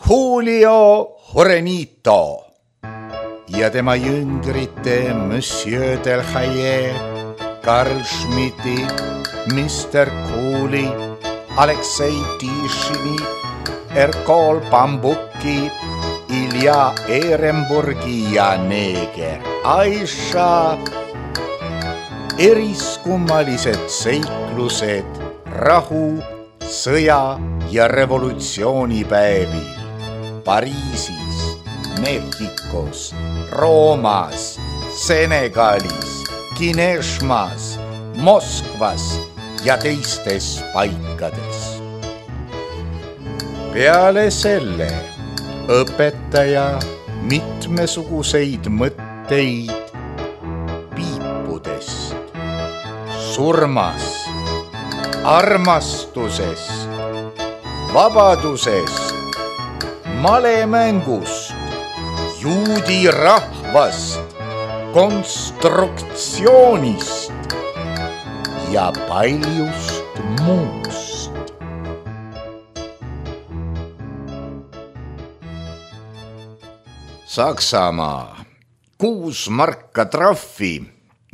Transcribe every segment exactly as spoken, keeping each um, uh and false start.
Julio Jurenito ja tema jüngrite Monsieur Delhaye, Karl Schmidti, mister Cooley, Aleksei Tišini, Erkol Bambuki, Ilja Ehrenburgi ja neeger Aisha. Eriskummalised seiklused rahu, sõja ja revolutsioonipäevil Pariisis, Mehhikos, Roomas, Senegalis, Kineshmas, Moskvas ja teistes paikades. Peale selle õpetaja mitmesuguseid mõtteid piipudest, surmast, armastusest, vabadusest, malemängust, juudi rahvast, konstruktsioonist ja paljust muust. Saksamaa, kuus marka trahvi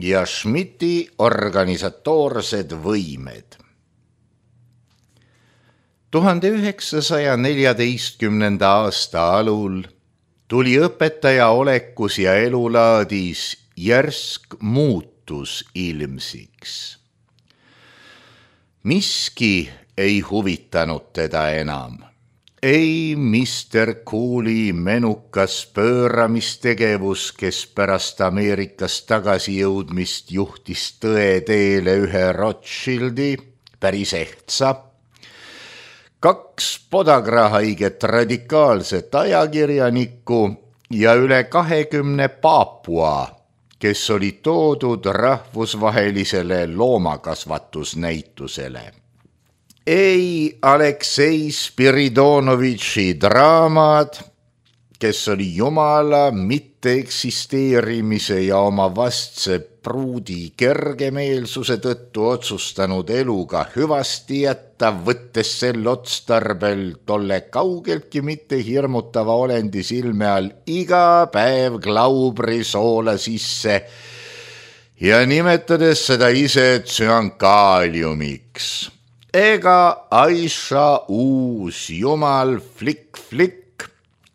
ja Schmidti organisatoorsed võimed. tuhande üheksasaja neljateistkümnenda aasta alul tuli õpetaja olekus ja elulaadis järsk muutus ilmsiks. Miski ei huvitanud teda enam. Ei mister Cooley menukas pööramistegevus, kes pärast Ameerikast tagasi jõudmist juhtis tõe teele ühe Rothschildi, päris ehtsa, kaks podagrahaiget radikaalset ajakirjanikku ja üle kahekümne Paapua, kes oli toodud rahvusvahelisele loomakasvatusnäitusele. Ei Aleksei Spiridonovitši draamad, kes oli jumala mitteeksisteerimise ja oma vastse pruudi kergemeelsuse tõttu otsustanud eluga hüvasti jätta, võttes sel otstarbel tolle kaugeltki mitte hirmutava olendi silme all iga päev glaubri soola sisse ja nimetades seda ise tsüankaaliumiks. Ega Aisha uus jumal flikk-flikk,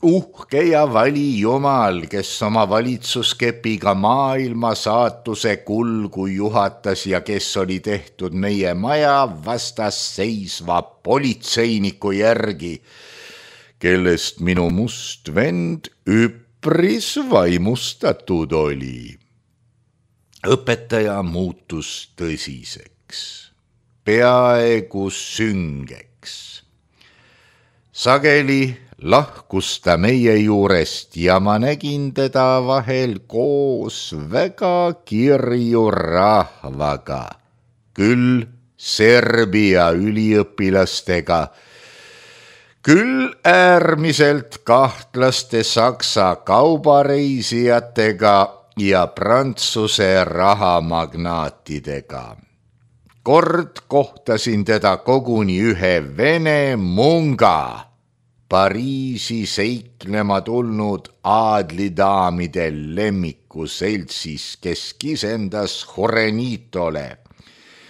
uhke ja vali jumal, kes oma valitsuskepiga maailma saatuse kulgu juhatas ja kes oli tehtud meie maja vastas seisva politseiniku järgi, kellest minu must vend üpris vaimustatud oli. Õpetaja muutus tõsiseks. Peaaegu süngeks. Sageli lahkus ta meie juurest ja ma nägin teda vahel koos väga kirju rahvaga, küll Serbia üliõpilastega, küll äärmiselt kahtlaste saksa kaubareisijatega ja Prantsuse rahamagnaatidega. Kord kohtasin teda koguni ühe vene munga, Pariisi seiklema tulnud aadlidaamide lemmiku seltsis, kes kisendas Jurenitole.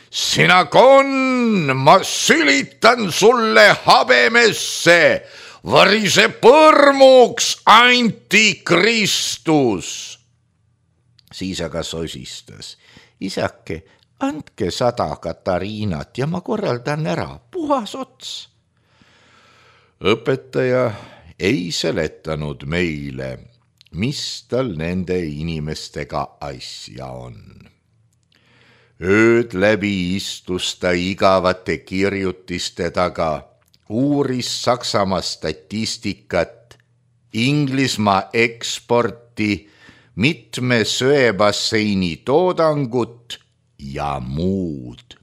Sina konn, ma sülitan sulle habemesse, varise põrmuks antikristus. Siis aga sosistas, isake, andke sada Katariinat ja ma korraldan ära, puhas ots. Õpetaja ei seletanud meile, mis tal nende inimestega asja on. Ööd läbi istus ta igavate kirjutiste taga, uuris Saksamaa statistikat, Inglismaa eksporti, mitme söebasseini toodangut ja muud.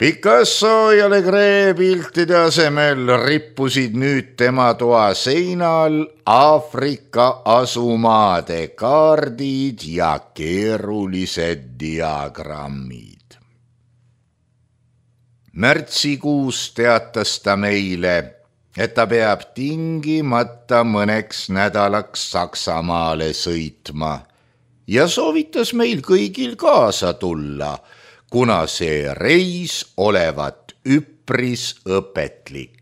Picasso ja Legre piltide asemel rippusid nüüd tema toa seinal Aafrika asumaade kaardid ja keerulised diagrammid. Märtsikuus teatas ta meile, et ta peab tingimata mõneks nädalaks Saksamaale sõitma ja soovitas meil kõigil kaasa tulla, kuna see reis olevat üpris õpetlik.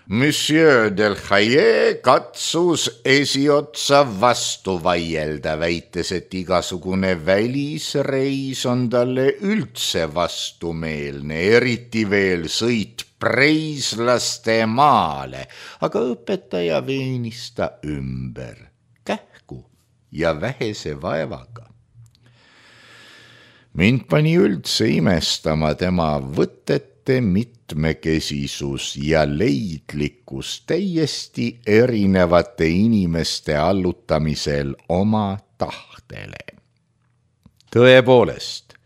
Monsieur Delhaye katsus esiotsa vastu vaielda, väites, et igasugune välisreis on talle üldse vastumeelne, eriti veel sõit preislaste maale, aga õpetaja veenis ta ümber, kähku ja vähese vaevaga. Mind pani üldse imestama tema võtete mitmekesisus ja leidlikkus täiesti erinevate inimeste allutamisel oma tahtele. Tõepoolest,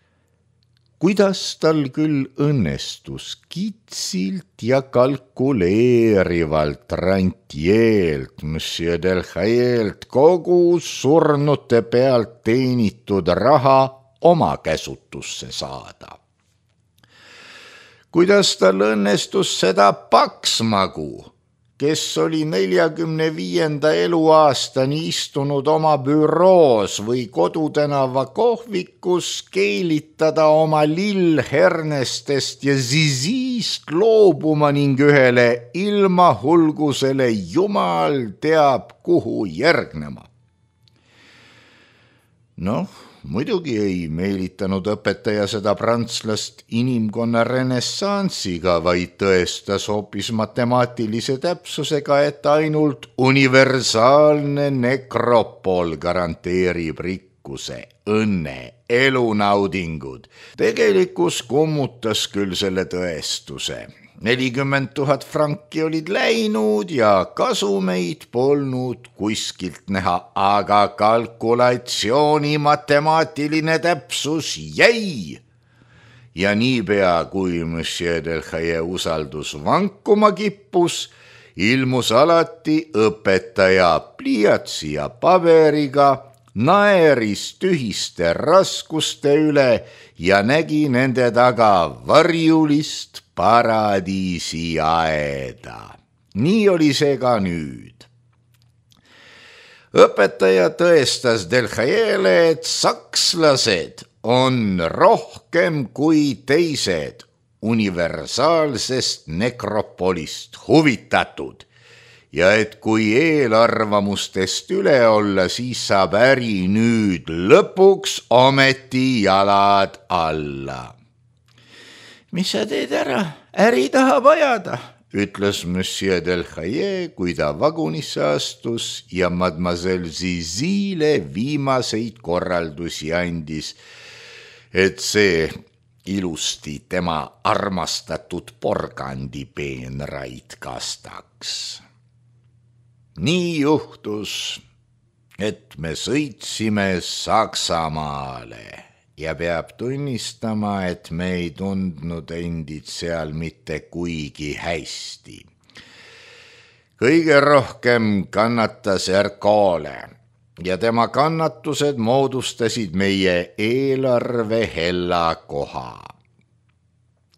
kuidas tal küll õnnestus kitsilt ja kalkuleerivalt rantjeelt Monsieur Delhayelt kogu surnute pealt teenitud raha oma käsutusse saada. Kuidas tal õnnestus seda Paksmagu, kes oli neljakümne viienda eluaastani istunud oma büroos või Kodutänava kohvikus, keelitada oma lillhernestest ja zizist loobuma ning ühele ilmahulgusele jumal teab kuhu järgnema. Noh, muidugi ei meelitanud õpetaja seda prantslast inimkonna renessansiga, vaid tõestas hoopis matemaatilise täpsusega, et ainult universaalne nekropol garanteerib rikkuse, õnne, elunaudingud. Tegelikkus kummutas küll selle tõestuse. nelikümmend tuhat franki olid läinud ja kasumeid polnud kuskilt näha, aga kalkulatsiooni matemaatiline täpsus jäi. Ja niipea, kui Monsieur Delhaye usaldus vankuma kippus, ilmus alati õpetaja pliiatsi ja paberiga, naeris tühiste raskuste üle ja nägi nende taga varjulist paradiisi aeda. Nii oli see ka nüüd. Õpetaja tõestas Delhayele, et sakslased on rohkem kui teised universaalsest nekropolist huvitatud ja et kui eelarvamustest üle olla, siis saab äri nüüd lõpuks ometi jalad alla. Mis sa teed ära? Äri tahab ajada, ütles Monsieur Delhaye, kui ta vagunisse astus ja mademoiselle Zizile viimaseid korraldusi andis, et see ilusti tema armastatud porgandipeenraid kastaks. Nii juhtus, et me sõitsime Saksamaale ja peab tunnistama, et me ei tundnud endid seal mitte kuigi hästi. Kõige rohkem kannatas Ercole ja tema kannatused moodustasid meie eelarve hella koha.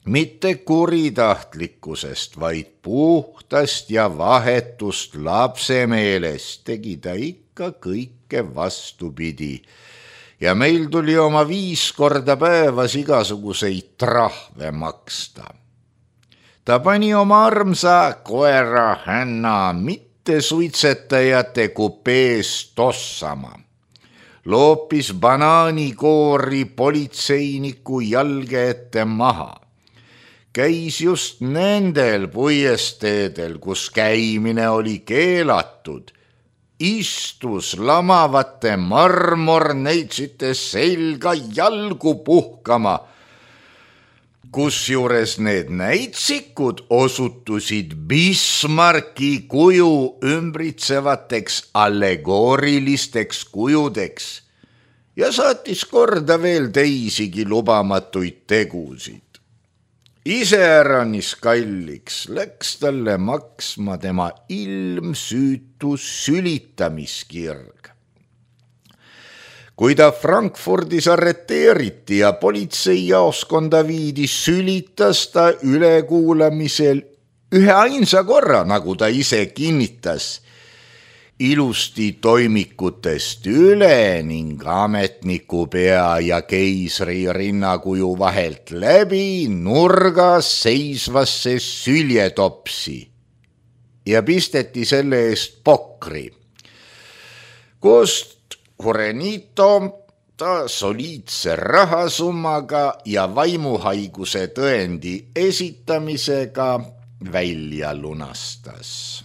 Mitte kuritahtlikkusest, vaid puhtast ja vahetust lapsemeelest tegi ta ikka kõike vastupidi ja meil tuli oma viis korda päevas igasuguseid trahve maksta. Ta pani oma armsa koera Hänna mitte suitsetajate kupees tossama, loopis banaanikoori politseiniku jalge ette maha, käis just nendel puiesteedel, kus käimine oli keelatud, istus lamavate marmorneitsite selga jalgu puhkama, kusjuures need näitsikud osutusid Bismarcki kuju ümbritsevateks allegoorilisteks kujudeks ja saatis korda veel teisigi lubamatuid tegusid. Iseäranis kalliks läks talle maksma tema ilmsüütu sülitamiskirg. Kui ta Frankfurdis arreteeriti ja politseijaoskonda viidi, sülitas ta ülekuulamisel ühe ainsa korra, nagu ta ise kinnitas, ilusti toimikutest üle ning ametniku pea ja keisri rinnakuju vahelt läbi nurgas seisvasse süljetopsi ja pisteti selle eest pokri. Kust Jurenito ta soliidse rahasummaga ja vaimuhaiguse tõendi esitamisega välja lunastas.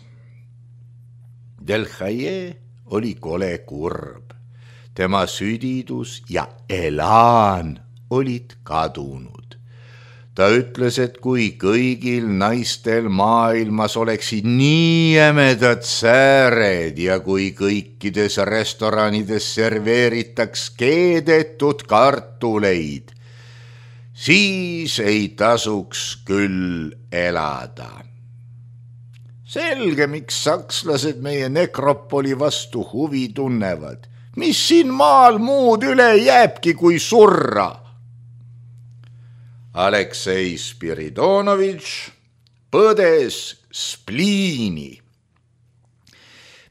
Del Haye oli kole kurb. Tema südidus ja elaan olid kadunud. Ta ütles, et kui kõigil naistel maailmas oleksid nii jämedad sääred ja kui kõikides restoranides serveeritaks keedetud kartuleid, siis ei tasuks küll elada. Selge, miks sakslased meie nekropoli vastu huvi tunnevad. Mis siin maal muud üle jääbki kui surra? Aleksei Spiridonovitš põdes spliini.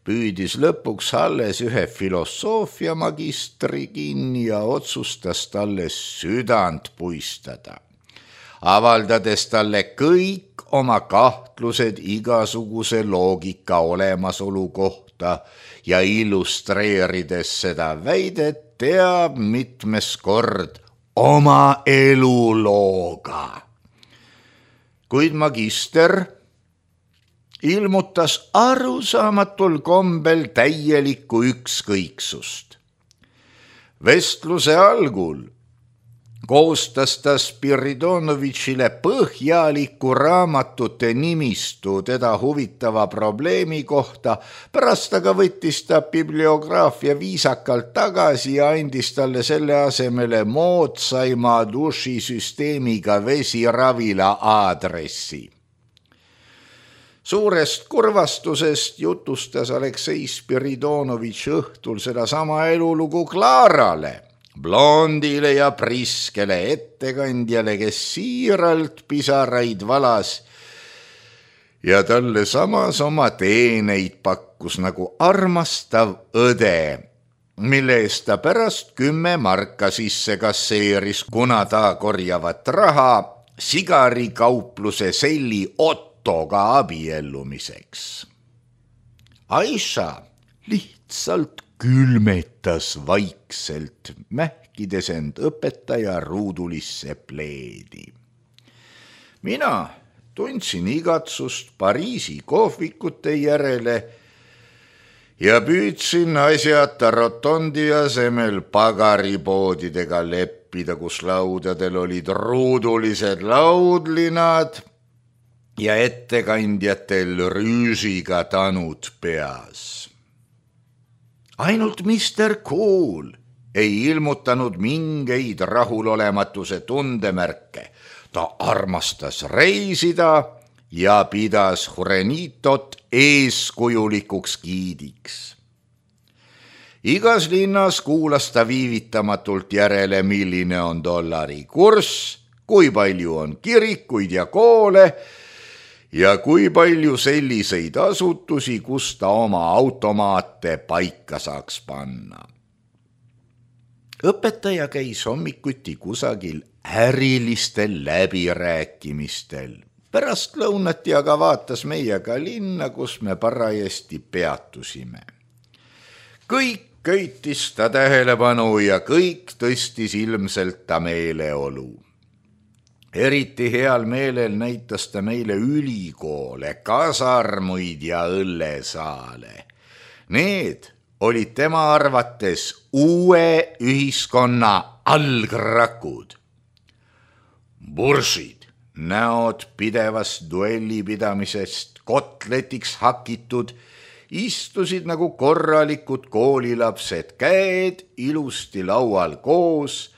Püüdis lõpuks alles ühe filosoofia magistri kinni ja otsustas talle südant puistada, avaldades talle kõik oma kahtlused igasuguse loogika olemasolu kohta ja illustreerides seda väidet teab mitmes kord oma elulooga. Kuid magister ilmutas arusaamatul kombel täielikku ükskõiksust. Vestluse algul koostas ta Spiridonovitšile põhjaliku raamatute nimistu teda huvitava probleemi kohta, pärast aga võttis ta bibliograafia viisakalt tagasi ja andis talle selle asemele moodsaima dušisüsteemiga vesiravila aadressi. Suurest kurvastusest jutustas Aleksei Spiridonovitš õhtul seda sama elulugu Klaarale, blondile ja priskele ettekandjale, kes siiralt pisaraid valas ja talle samas oma teeneid pakkus nagu armastav õde, mille eest ta pärast kümme marka sisse kasseeris, kuna ta korjavat raha sigarikaupluse selli Ottoga abiellumiseks. Aisha lihtsalt külmetas vaikselt, mähkides end õpetaja ruudulisse pleedi. Mina tundsin igatsust Pariisi kohvikute järele ja püüdsin asjata rotondi asemel pagaripoodidega leppida, kus laudadel olid ruudulised laudlinad ja ettekandjatel rüüsiga tanud peas. Ainult mister Cool ei ilmutanud mingeid rahulolematuse tundemärke. Ta armastas reisida ja pidas Jurenitot eeskujulikuks giidiks. Igas linnas kuulas ta viivitamatult järele, milline on dollari kurss, kui palju on kirikuid ja koole ja kui palju selliseid asutusi, kus ta oma automaate paika saaks panna. Õpetaja käis hommikuti kusagil ärilistel läbirääkimistel. Pärast lõunati aga vaatas meiega linna, kus me parajasti peatusime. Kõik köitis ta tähelepanu ja kõik tõstis ilmselt ta meeleolu. Eriti heal meelel näitas ta meile ülikoole, kasarmuid ja õllesaale. Need olid tema arvates uue ühiskonna algrakud. Buršid, näod pidevast duellipidamisest kotletiks hakitud, istusid nagu korralikud koolilapsed, käed ilusti laual koos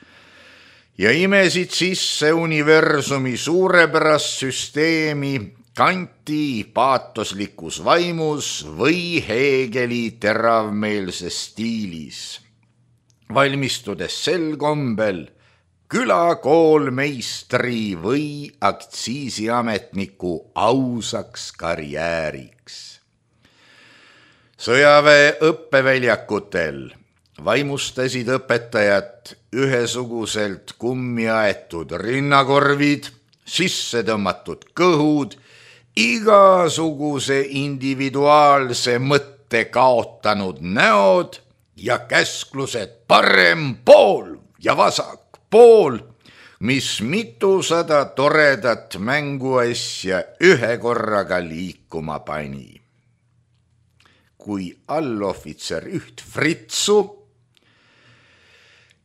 ja imesid sisse universumi suurepärast süsteemi Kanti paatoslikus vaimus või Hegeli teravmeelses stiilis, valmistudes sel kombel külakoolmeistri või aktsiisiametniku ausaks karjääriks. Sõjaväe õppeväljakutel vaimustasid õpetajat ühesuguselt kummi aetud rinnakorvid, sisse tõmmatud kõhud, igasuguse individuaalse mõtte kaotanud näod ja käsklused parem pool ja vasak pool, mis mitusada toredat mänguasja ühe korraga liikuma pani. Kui allohvitser üht Fritsu,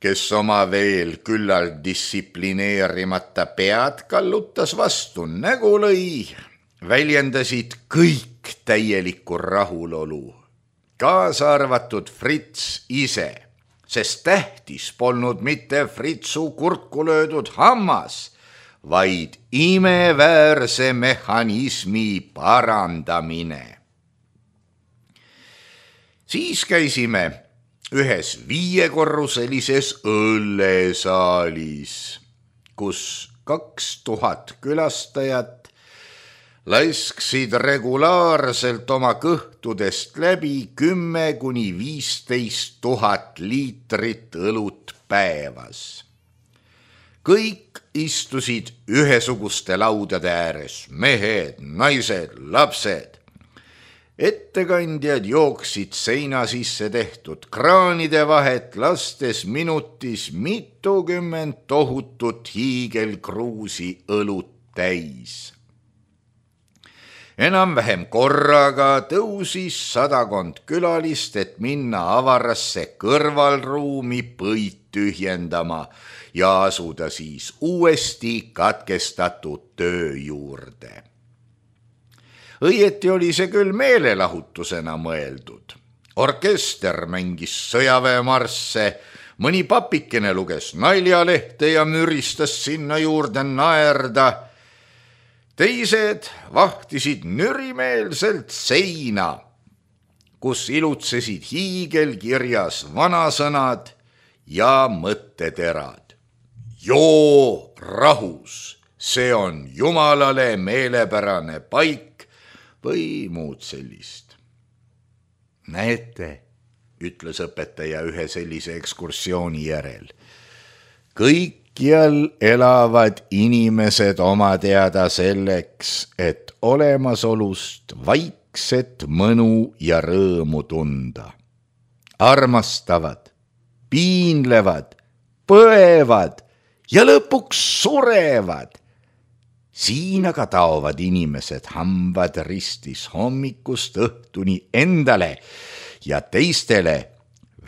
kes oma veel küllal distsiplineerimata pead kallutas vastu nägu lõi, väljendasid kõik täielikku rahulolu, kaasa arvatud Frits ise, sest tähtis polnud mitte Fritsu kurku löödud hammas, vaid imeväärse mehhanismi parandamine. Siis käisime ühes viiekorruselises õllesaalis, kus kaks tuhat külastajat laisksid regulaarselt oma kõhtudest läbi kümme kuni viisteist tuhat liitrit õlut päevas. Kõik istusid ühesuguste laudade ääres, mehed, naised, lapsed. Ettekandjad jooksid seina sisse tehtud kraanide vahet, lastes minutis mitukümmend tohutut hiigelkruusi õlut täis. Enam-vähem korraga tõusis sadakond külalist, et minna avarasse kõrvalruumi põid tühjendama ja asuda siis uuesti katkestatud töö juurde. Õieti oli see küll meelelahutusena mõeldud. Orkester mängis sõjaväemarsse, mõni papikene luges naljalehte ja müristas sinna juurde naerda. Teised vahtisid nürimeelselt seina, kus ilutsesid hiigelkirjas vanasõnad ja mõtteterad. Joo rahus, see on Jumalale meelepärane paik, või muud sellist. Näete, ütles õpetaja ühe sellise ekskursiooni järel. Kõikjal elavad inimesed oma teada selleks, et olemasolust vaikset mõnu ja rõõmu tunda. Armastavad, piinlevad, põevad ja lõpuks surevad. Siin aga taovad inimesed hambad ristis hommikust õhtuni endale ja teistele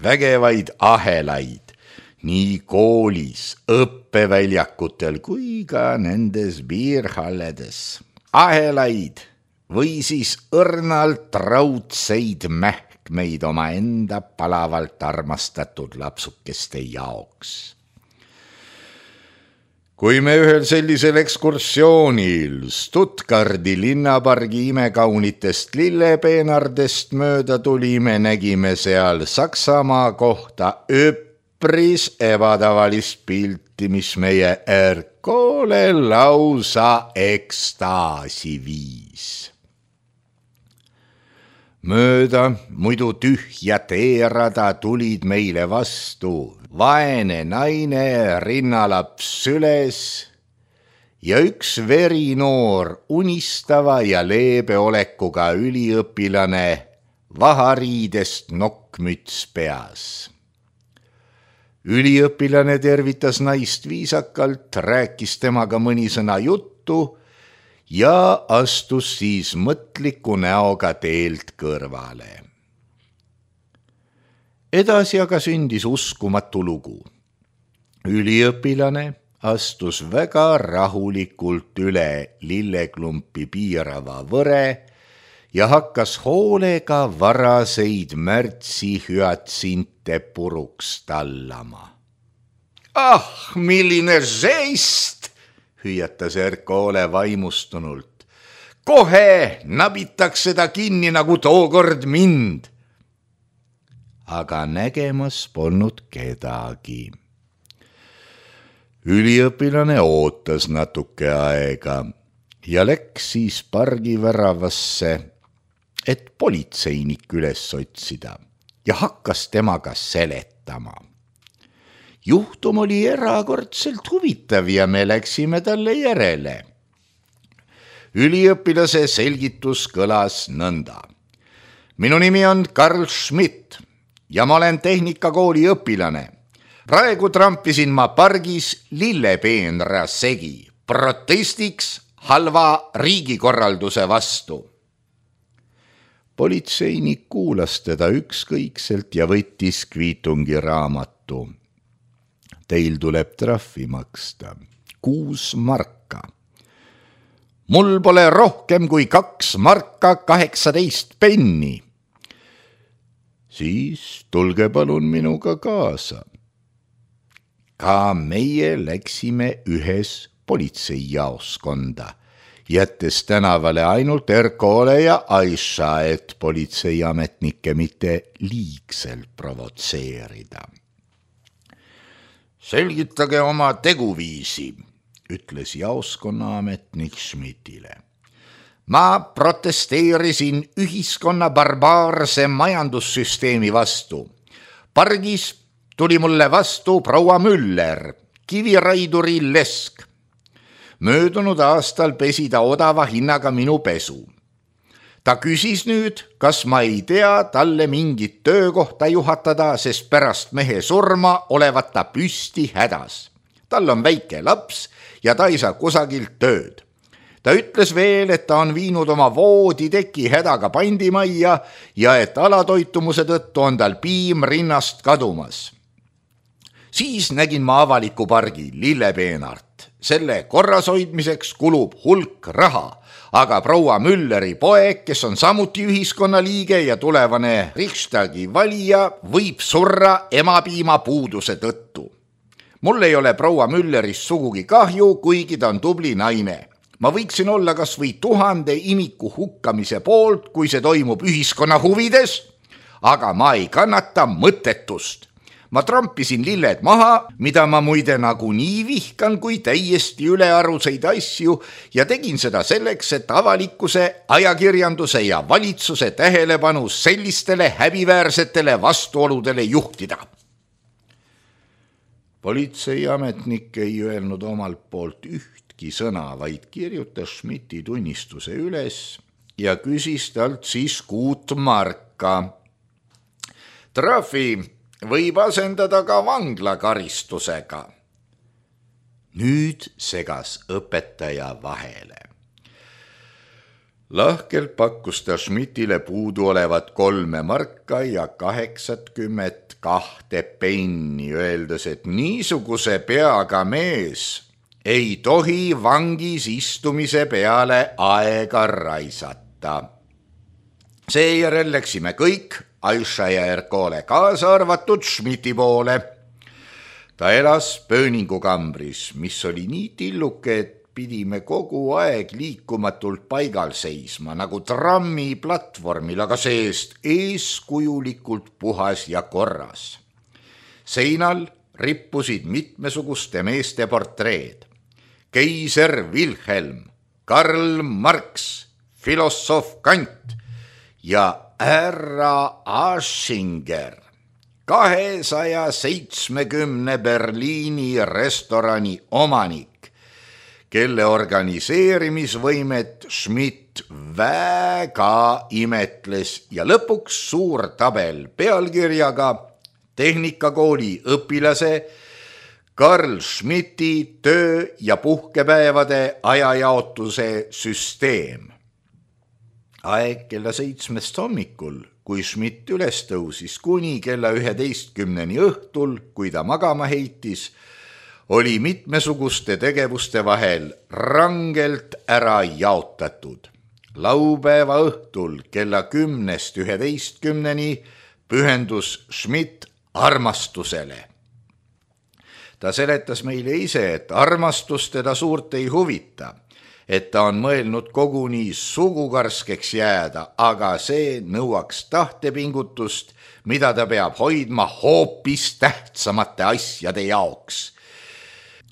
vägevaid ahelaid nii koolis, õppeväljakutel kui ka nendes biirhalledes. Ahelaid või siis õrnalt raudseid mähkmeid oma enda palavalt armastatud lapsukeste jaoks. Kui me ühel sellisel ekskursioonil Stuttgardi linnapargi imekaunitest lillepeenardest mööda tulime, nägime seal Saksamaa kohta üpris ebatavalist pilti, mis meie ärkoole lausa ekstaasi viis. Mööda muidu tühja teerada tulid meile vastu vaene naine, rinnalaps süles ja üks verinoor, unistava ja leebe olekuga üliõpilane, vahariidest nokkmüts peas. Üliõpilane tervitas naist viisakalt, rääkis temaga mõni sõna juttu ja astus siis mõtliku näoga teelt kõrvale. Edasi aga sündis uskumatu lugu. Üliõpilane astus väga rahulikult üle lilleklumpi piirava võre ja hakkas hoolega varaseid märtsi hüatsinte puruks tallama. Ah, milline žest, hüüatas Erkoole vaimustunult. Kohe nabitaks seda kinni nagu tookord mind. Aga nägemas polnud kedagi. Üliõpilane ootas natuke aega ja läks siis pargiväravasse, et politseinik üles otsida ja hakkas temaga seletama. Juhtum oli erakordselt huvitav ja me läksime talle järele. Üliõpilase selgitus kõlas nõnda. Minu nimi on Karl Schmidt ja ma olen tehnikakooli õpilane. Praegu trampisin ma pargis lillepeenra segi protestiks halva riigikorralduse vastu. Politseinik kuulas teda ükskõikselt ja võttis kviitungi raamatu. Teil tuleb trahvi maksta. Kuus marka. Mul pole rohkem kui kaks marka kaheksateist penni. Siis tulge palun minuga kaasa. Ka meie läksime ühes politseijaoskonda, jättes tänavale ainult Erkole ja Aisha, et politseiametnikke mitte liigselt provotseerida. Selgitage oma teguviisi, ütles jaoskonna ametnik Schmidtile. Ma protesteerisin ühiskonna barbaarse majandussüsteemi vastu. Pargis tuli mulle vastu proua Müller, kiviraiduri lesk. Möödunud aastal pesi ta odava hinnaga minu pesu. Ta küsis nüüd, kas ma ei tea talle mingit töökohta juhatada, sest pärast mehe surma olevat ta püsti hädas. Tal on väike laps ja ta ei saa kusagilt tööd. Ta ütles veel, et ta on viinud oma vooditeki hädaga pandimajja ja et alatoitumuse tõttu on tal piim rinnast kadumas. Siis nägin ma avaliku pargi lillepeenart. Selle korras hoidmiseks kulub hulk raha, aga proua Mülleri poeg, kes on samuti ühiskonna liige ja tulevane Riksdagi valija, võib surra emapiima puuduse tõttu. Mul ei ole proua Müllerist sugugi kahju, kuigi ta on tubli naine. Ma võiksin olla kas või tuhande imiku hukkamise poolt, kui see toimub ühiskonna huvides, aga ma ei kannata mõttetust. Ma trampisin lilled maha, mida ma muide nagu nii vihkan kui täiesti ülearuseid asju ja tegin seda selleks, et avalikkuse, ajakirjanduse ja valitsuse tähelepanu sellistele häbiväärsetele vastuoludele juhtida. Politseiametnik ei öelnud omalt poolt ühtki sõna, vaid kirjutas Schmidti tunnistuse üles ja küsis talt siis kuut marka. Trahvi võib asendada ka vanglakaristusega. Nüüd segas õpetaja vahele. Lahkelt pakkus ta Schmidtile puudu olevat kolme marka ja kaheksakümmet kahte penni, öeldes, et niisuguse peaga mees ei tohi vangis istumise peale aega raisata. Seejärel läksime kõik Aisha ja Erkole kaasa arvatud Schmidti poole. Ta elas pööningukambris, mis oli nii tilluke, et pidime kogu aeg liikumatult paigal seisma, nagu trammi platvormil, aga seest eeskujulikult puhas ja korras. Seinal rippusid mitmesuguste meeste portreed. Keiser Wilhelm, Karl Marx, filosoof Kant ja härra Aschinger, kahesaja seitsmekümne Berliini restorani omanik, kelle organiseerimisvõimet Schmidt väga imetles ja lõpuks suur tabel pealkirjaga tehnikakooli õpilase Karl Schmidti töö- ja puhkepäevade ajajaotuse süsteem. Aeg kella seitsmest hommikul, kui Schmidt üles tõusis kuni kella üheteistkümneni õhtul, kui ta magama heitis, oli mitmesuguste tegevuste vahel rangelt ära jaotatud. Laupäeva õhtul kella kümnest üheteistkümneni pühendus Schmidt armastusele. Ta seletas meile ise, et armastus teda suurt ei huvita, et ta on mõelnud koguni sugukarskeks jääda, aga see nõuaks tahtepingutust, mida ta peab hoidma hoopis tähtsamate asjade jaoks.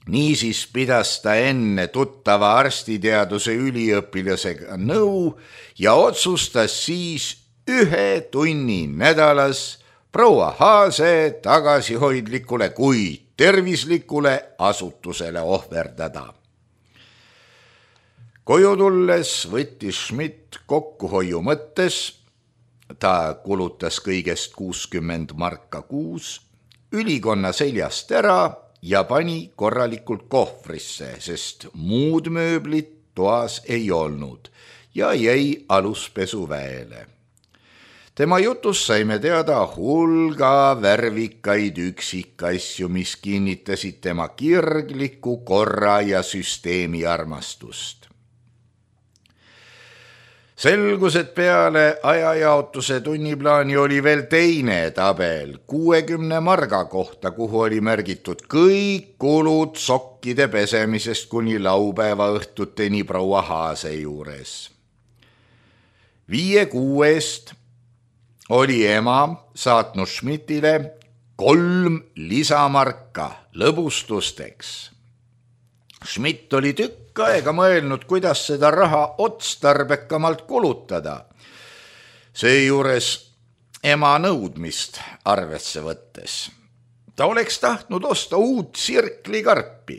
Niisiis pidas ta enne tuttava arstiteaduse üliõpilasega nõu ja otsustas siis ühe tunni nädalas proua Haase tagasihoidlikule, kuid tervislikule asutusele ohverdada. Koju tulles võttis Schmidt kokkuhoiu mõttes, ta kulutas kõigest kuuskümmend marka kuus, ülikonna seljast ära ja pani korralikult kohvrisse, sest muud mööblit toas ei olnud ja jäi aluspesuväele. Tema jutus saime teada hulga värvikaid üksikasju, mis kinnitasid tema kirgliku korra ja süsteemi armastust. Selgus, et peale ajajaotuse tunniplaani oli veel teine tabel kuuekümne marga kohta, kuhu oli märgitud kõik kulud sokkide pesemisest kuni laupäeva õhtuteni proua Haase juures. Viie kuu eest oli ema saatnud Schmidtile kolm lisamarka lõbustusteks. Schmidt oli tükk aega mõelnud, kuidas seda raha otstarbekamalt kulutada. Seejuures ema nõudmist arvesse võttes. Ta oleks tahtnud osta uut sirklikarpi,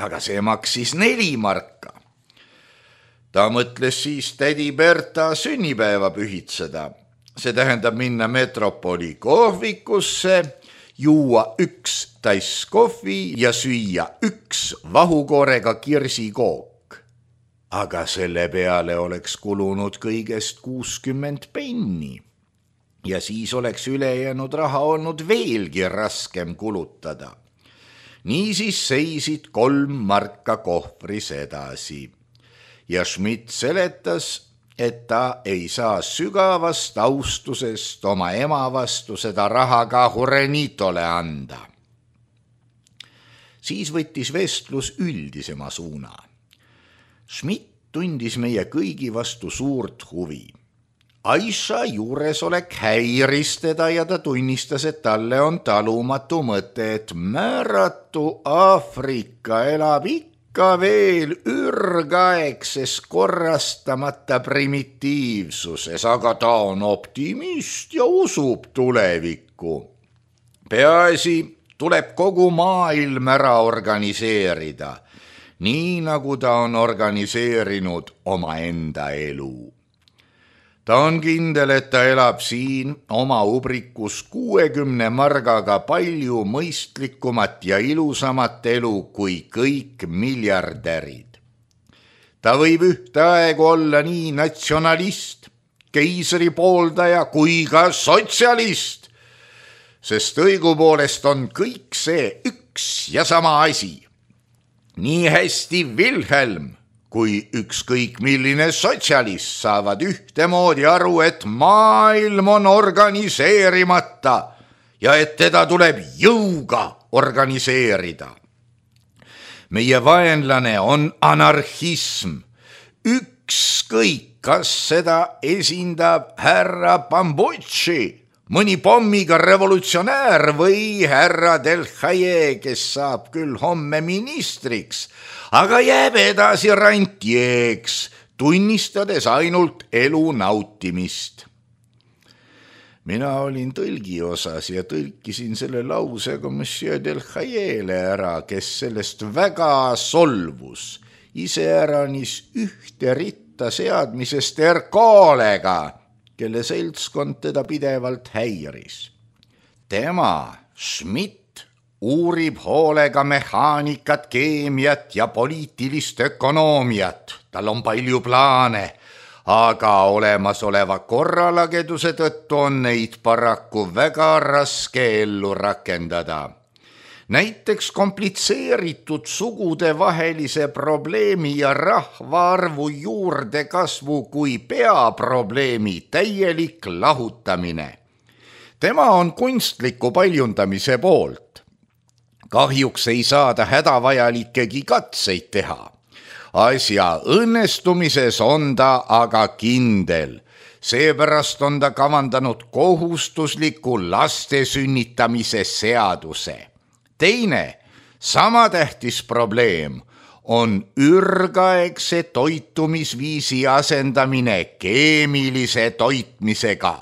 aga see maksis neli marka. Ta mõtles siis tädi Berta sünnipäeva pühitseda. See tähendab minna Metropoli kohvikusse, juua üks tass kohvi ja süüa üks vahukoorega kirsikook. Aga selle peale oleks kulunud kõigest kuuskümmend penni ja siis oleks ülejäänud raha olnud veelgi raskem kulutada. Niisiis seisid kolm marka kohvris edasi ja Schmidt seletas, et ta ei saa sügavast austusest oma ema vastu seda raha ka Jurenitole anda. Siis võttis vestlus üldisema suuna. Schmidt tundis meie kõigi vastu suurt huvi. Aisha juuresolek häiris teda ja ta tunnistas, et talle on talumatu mõte, et määratu Aafrika elab ikka ka veel ürgaegses korrastamata primitiivsuses, aga ta on optimist ja usub tulevikku. Peaasi tuleb kogu maailm ära organiseerida, nii nagu ta on organiseerinud omaenda elu. Ta on kindel, et ta elab siin oma ubrikus kuuekümne margaga palju mõistlikumat ja ilusamat elu kui kõik miljardärid. Ta võib ühtaegu olla nii natsionalist, keisri pooldaja kui ka sotsialist, sest õigupoolest on kõik see üks ja sama asi. Nii hästi Wilhelm kui ükskõik milline sotsialist saavad ühtemoodi aru, et maailm on organiseerimata ja et teda tuleb jõuga organiseerida. Meie vaenlane on anarhism. Ükskõik, kas seda esindab härra Bambucci, mõni pommiga revolutsionäär või härra Del Haye, kes saab küll homme ministriks, aga jääb edasi rantjeeks, tunnistades ainult elu nautimist. Mina olin tõlgi osas ja tõlkisin selle lausega monsieur Del Hayele ära, kes sellest väga solvus, iseäranis ühte ritta seadmisest Erkoolega, kelle seltskond teda pidevalt häiris. Tema, Schmidt, uurib hoolega mehaanikat, keemiat ja poliitilist ökonoomiat. Tal on palju plaane, aga olemasoleva korralageduse tõttu on neid paraku väga raske ellu rakendada. Näiteks komplitseeritud sugudevahelise probleemi ja rahvaarvu juurdekasvu kui peaprobleemi täielik lahutamine. Tema on kunstliku paljundamise poolt. Kahjuks ei saada hädavajalikegi katseid teha. Asja õnnestumises on ta aga kindel. Seepärast on ta kavandanud kohustusliku laste sünnitamise seaduse. Teine, Sama tähtis probleem on ürgaegse toitumisviisi asendamine keemilise toitmisega,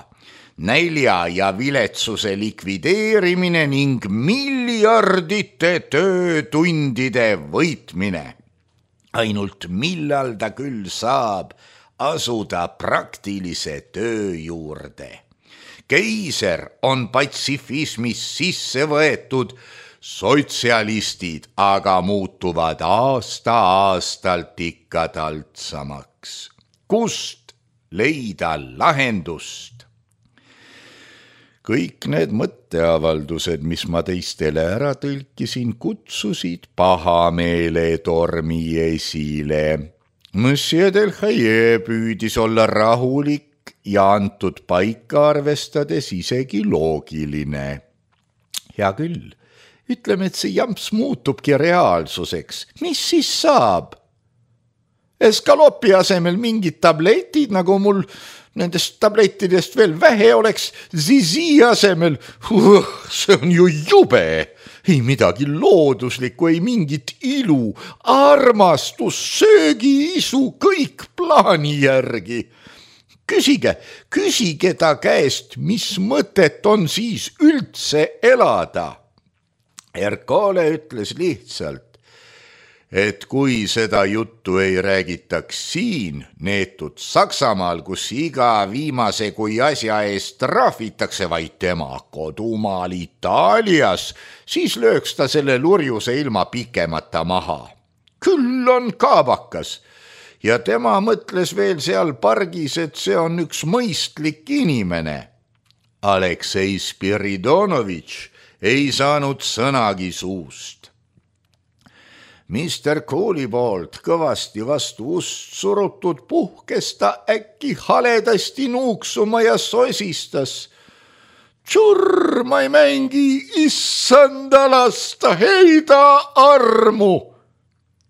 nälja ja viletsuse likvideerimine ning miljardite töötundide võitmine. Ainult millal ta küll saab asuda praktilise töö juurde. Keiser on patsifismis sisse võetud, sotsialistid aga muutuvad aasta-aastalt ikka taltsamaks. Kust leida lahendust? Kõik need mõtteavaldused, mis ma teistele ära tõlkisin, kutsusid pahameele tormi esile. Monsieur Delhaye püüdis olla rahulik ja antud paika arvestades isegi loogiline. Hea küll, ütleme, et see jamps muutubki reaalsuseks. Mis siis saab? Eskalopi asemel mingid tabletid, nagu mul nendest tablettidest veel vähe oleks, Zizi asemel, uh, see on ju jube. Ei midagi looduslikku, ei mingit ilu, armastus, söögiisu, kõik plaani järgi. Küsige, küsige ta käest, mis mõtet on siis üldse elada. Ercole ütles lihtsalt, et kui seda juttu ei räägitaks siin, neetud Saksamaal, kus iga viimase kui asja eest trahvitakse, vaid tema kodumaal Itaalias, siis lööks ta selle lurjuse ilma pikemata maha. Küll on kaabakas ja tema mõtles veel seal pargis, et see on üks mõistlik inimene. Aleksei Spiridonovitš ei saanud sõnagi suust. Mister Kooli poolt kõvasti vastu ust surutud puhkes ta äkki haledasti nuuksuma ja sosistas. Tšurr, ma ei mängi, issanda lasta, heida armu.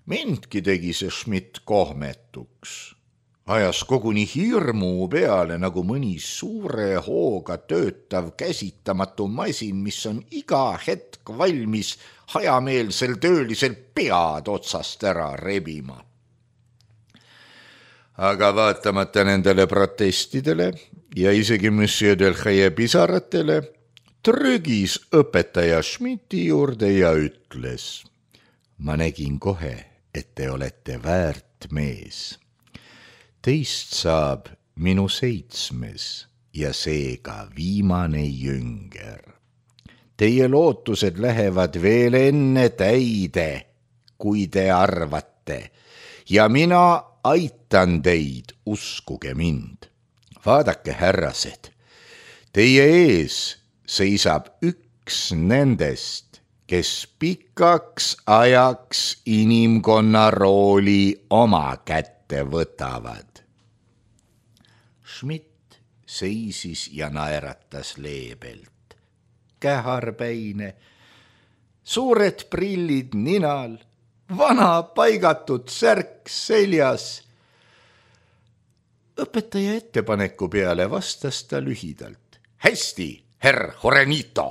Mindki tegi see Schmidt kohmetuks. Ajas koguni hirmu peale nagu mõni suure hooga töötav käsitamatu masin, mis on iga hetk valmis hajameelsel töölisel pead otsast ära rebima. Aga vaatamata nendele protestidele ja isegi Monsieur Delhaye pisaratele, trügis õpetaja Schmidti juurde ja ütles: ma nägin kohe, et te olete väärt mees. Teist saab minu seitsmes ja seega viimane jünger. Teie lootused lähevad veel enne täide, kui te arvate, ja mina aitan teid, uskuge mind. Vaadake, härrased, teie ees seisab üks nendest, kes pikaks ajaks inimkonna rooli oma kätte võtavad. Schmidt seisis ja naeratas leebelt. Käharpäine, suured prillid ninal, vana paigatud särk seljas. Õpetaja ettepaneku peale vastas ta lühidalt: hästi, herr Horenito.